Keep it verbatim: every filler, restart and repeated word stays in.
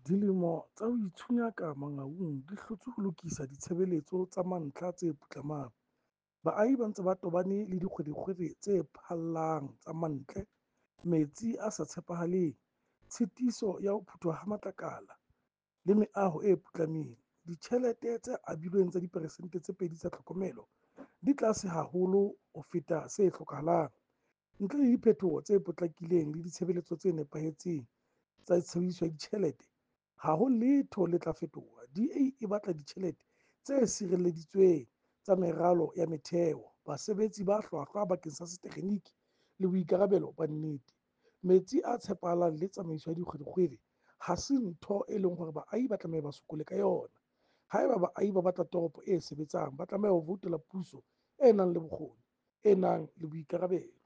Dilemo tsa ho itshunyaka Mangaung di hlotse ho lokisa ditshebeletso tsa mantlha tse putlamang. Baahi ba ntse ba tobane le dikgwerekgwere tse phallang tsa mantle, metsi a sa tshepahaleng, tshitiso ya ho phuthwa ha matlakala, le meaho e putlameng. Ditjhelete tse abilweng tsa diperesente tse pedi tsa tlhokomelo di tlase haholo ho feta se hlokahalang. Ntle le diphetoho tse potlakileng le ditshebeletso tse nepahetseng tsa tshebediso ya ditjhelete, ha ho letho le tla fetoha. D A e batla ditjhelete tse sireleditsweng tsa meralo ya metheo, basebetsi ba hlwahlwa bakeng sa setekgeniki le boikarabelo ba nnete. Metsi a tshepahalang le tsamaiso ya dikgwerekgwere ha se ntho e leng hore baahi ba tlameha ba sokole ka yona. Haeba baahi ba batla toropo e sebetsang, ba tlameha ho voutela puso e nang le bokgoni, e nang le boikarabelo.